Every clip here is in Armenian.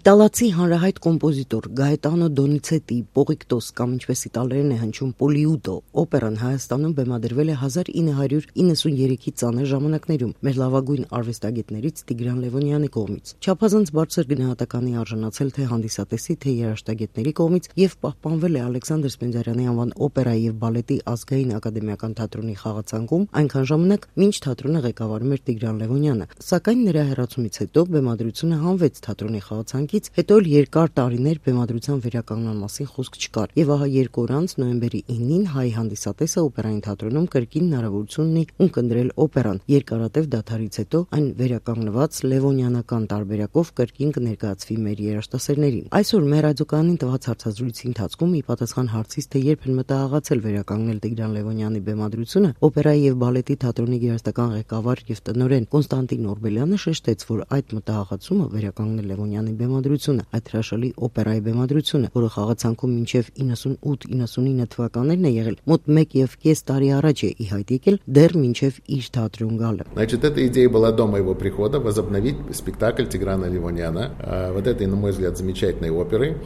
Իտալացի հանրահայտ կոմպոզիտոր Գաետանո Դոնիցետի «Պողիկտոս» կամ ինչպես իտալերեն է հնչում «Պոլիուտո» օպերան Հայաստանում բեմադրվել է 1993-ի ծանր ժամանակներում մեր լավագույն արվեստագետներից Տիգրան Լևոնյանի կողմից։ Չափազանց բարձր գնահատականի արժանացել թե հանդիսատեսի, թե երաժշտագետների կողմից եւ պահպանվել է Ալեքսանդր Սպենդիարյանի անվան օպերայի եւ բալետի ազգային ակադեմիական թատրոնի խաղացանկում այնքան ժամանակ, մինչ թատրոնը ղեկավարում էր Տիգրան Լևոնյանը։ Սակայն նրա հեռացումից հետո բեմադրությունը հանվեց թատրոնի խաղացանկից, հետո էլ երկար տարիներ բեմադրության վերականգնման մասին խոսք չկար։ Եվ ահա 2 օր անց նոյեմբերի 9-ին հայ հանդիսատեսը օպերային թատրոնում կրկին հնարավորություն ունի ունկնդրել օպերան։ Երկարատև դադարից հետո այն վերականգնված լևոնյանական տարբերակով կրկին կներկայացվի մեր երաժշտասերներին։ Այսօր մեր ռադիոկայանին տված հարցազրույցի ընթացքում ի պատասխան հարցից, թե երբ են մտահղացել վերականգնել Տիգրան Լևոնյանի բեմադրությունը, օպերայի եւ բալետի թատրոնի գերաստական ղեկավար եւ տնօրեն Կոնստանտին Օրբելյանը շեշտեց, որ այդ մտահղացումը վերականգնել Լևոնյանի բեմադրությունը, այդ հրաշալի օպերայի բեմադրությունը, որը խաղացանկում մինչև 98-99 թվականներն է եղել, մոտ 1.5 տարի առաջ է ի հայտ եկել, дер մինչև իր թատրոն գալը։ Значит, эта идея была до моего прихода возобновить спектакль Тиграна Левоньяна, вот этой, на мой взгляд, замечательной оперы,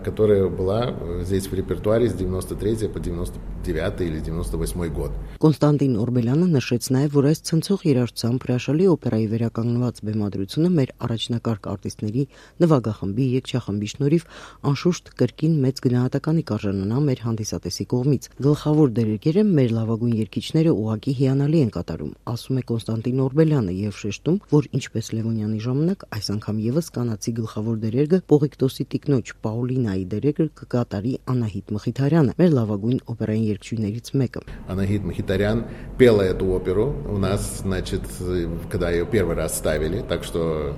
которая была здесь в репертуаре с 93 по 99 или 98 год. Կոնստանտին Օրբելյանը նշեց նաև, որ այս ցնցող երաժշտությամբ հրաշալի օպերայի վերականգնված բեմադրությունը մեր առաջնակարգ արտիստների նվագախմբի, երգչախմբի շնորհիվ անշուշտ կրկին մեծ գնահատականի կարժանանա մեր հանդիսատեսի կողմից։ Գլխավոր դերերը մեր լավագույն երգիչները ուղղակի հիանալի են կատարում, ասում է Կոնստանտին Օրբելյանը եւ շեշտում, որ ինչպես Լևոնյանի ժամանակ այս անգամ եւս կանացի գլխավոր դերերը Պողիկտոսի տիկնոջ Պաուլինայի դերերը կկատարի Անահիտ Մխիթարյանը, մեր լավագույն օպերային երգչուհիներից մեկը։ Анахит Мхитарян пела эту оперу у нас, значит, когда ее первый раз ставили, так что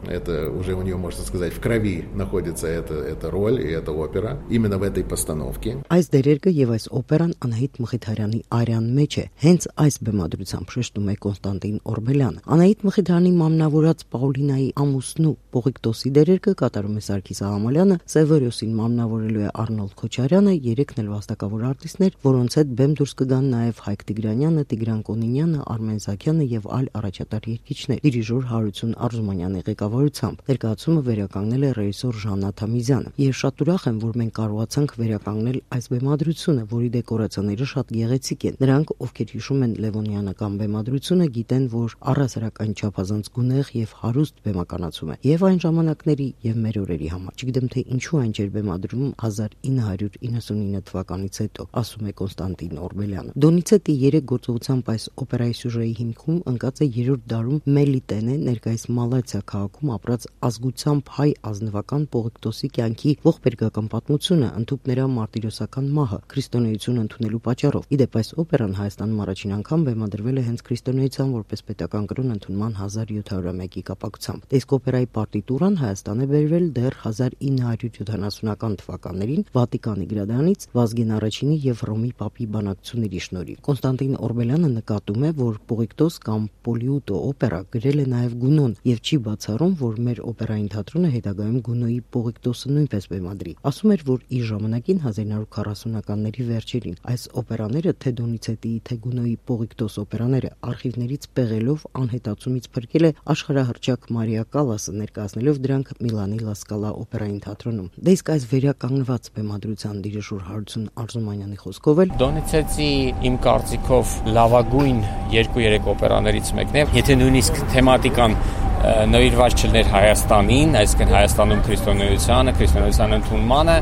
это уже у нее, можно сказать, в крови находится эта роль и эта опера именно в этой постановке. Այս դերերը եւ այս օպերան Անահիտ Մխիթարյանի արյան մեջ է, հենց այս բեմադրությամբ շեշտում է Կոնստանտին Օրբելյանը։ Անահիտ Մխիթարյանի մամնավորած Պաուլինայի ամուսնու Պողիկտոսի դերերը կատարում է Սարգիս Աղամալյանը, Սևորիոսին մամնավորելու է Արնոլդ Քոչարյանը, երեքն էլ վաստակավոր արտիստներ, որոնց հետ բեմ դուրս կգան նաեւ Հայկ Տիգրանյանը, Տիգրան Կոնինյանը, Արմեն Զաքյանը եւ այլ առաջատար երգիչներ։ Դիրիժոր Հարություն Արզումանյանի ղեկավարությամբ ներկայացումը վերականգնել է ռեժիսոր Ժաննա Թամիզյանը։ Ես շատ ուրախ եմ, որ մենք կարողացանք վերականգնել այս բեմադրությունը, որի դեկորացիաները շատ գեղեցիկ են։ Նրանք, ովքեր հիշում են Լևոնյանական բեմադրությունը, գիտեն, որ առհասարակ այն չափազանց գունեղ եւ հարուստ բեմականացում է եւ այն ժամանակների եւ մեր օրերի համար։ Չգիտեմ թե ինչու այն չէր բեմադրում 1999 թվականից հետո, ասում է Կոնստանտին Օրբելյանը։ Դոնիցետի 3 գործողությամբ այս օպերայի սյուժեի հիմքում ընկած է 3-րդ դարում Մելիտենե, ներկայիս Մալաթիա քաղաքում ապրած ազգությամբ հայ ազնվական Պողիկտոսի կյանքի ողբերգական պատմությունը, ընդհուպ նրա մարտիրոսական մահը, քրիստոնեություն ընդունելու պատճառով։ Իդեպ այս օպերան Հայաստանում առաջին անգամ բեմադրվել է հենց քրիստոնեության որպես պետական կրոն ընդունման 1701-ի կապակցությամբ։ Իսկ օպերայի պարտիտուրան Հայաստան է բերվել դեռ 1970-ական թվականներին Վատիկանի գրադարանից Վազգեն I-ի եւ Ռոմի Պապի բանակցությունների շնորհիվ։ Կոնստանտին Օրբելյանը նկատում է, որ Պողիկտոս կամ Պոլիուտո օպերա գրել է նաեւ Գունոն եւ չի բացառում, որ մեր օպերային թատրոնը հետագայում Գունոյի Պողիկտոսը նույնպես բեմադրի։ Ասում էր, որ իր ժամանակին 1940-ականների վերջերին այս օպերաները թե Դոնիցետիի, թե Գունոյի Պողիկտոս օպերաները արխիվներից պեղելով անհետացումից փրկել է աշխարհահռչակ Մարիա Կալասը, ներկայացնելով դրանք Միլանի Լա Սկալա օպերային թատրոնում։ Դե իսկ այս վերականգնված բեմադրության դիրիժոր Հարություն Արզումանյանի խոսքով էլ Դոնիցետի իմ կարծիքով լավագույն 2-3 օպերաներից մեկն է, եթե նույնիսկ թեմատիկան նվիրված չլներ Հայաստանին, այսինքն Հայաստանում քրիստոնեության ընդունմանը,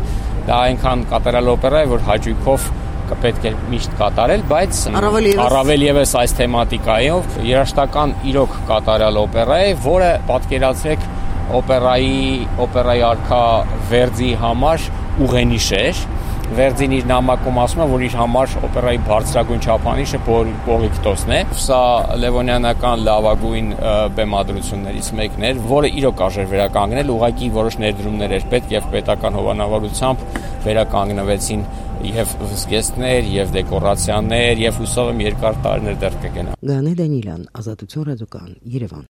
դա այնքան կատարյալ օպերա է, որ հաճույքով կպետք է միշտ կատարել, բայց առավել եւս այս թեմատիկայով երաժշտական իրոք կատարյալ օպերա է, որը պատկերացրեք օպերայի արքա Վերդի համար ուղենիշ էր։ Վերդին իր նամակում ասում է, որ իր համար օպերայի բարձրագույն չափանիշը Պողիկտոսն է։ Սա Լևոնյանական լավագույն բեմադրություններից մեկն էր, որը իրոք արժեր վերականգնել, ուղղակի որոշ ներդրումներ էր պետք եւ պետական հովանավորությամբ վերականգնվեցին եւ զգեստներ, եւ դեկորացիաներ, եւ հուսով եմ երկար տարիներ դեռ կգնա։ Գանե Դանիլյան, Ազատություն ռադիոկայան, Երևան։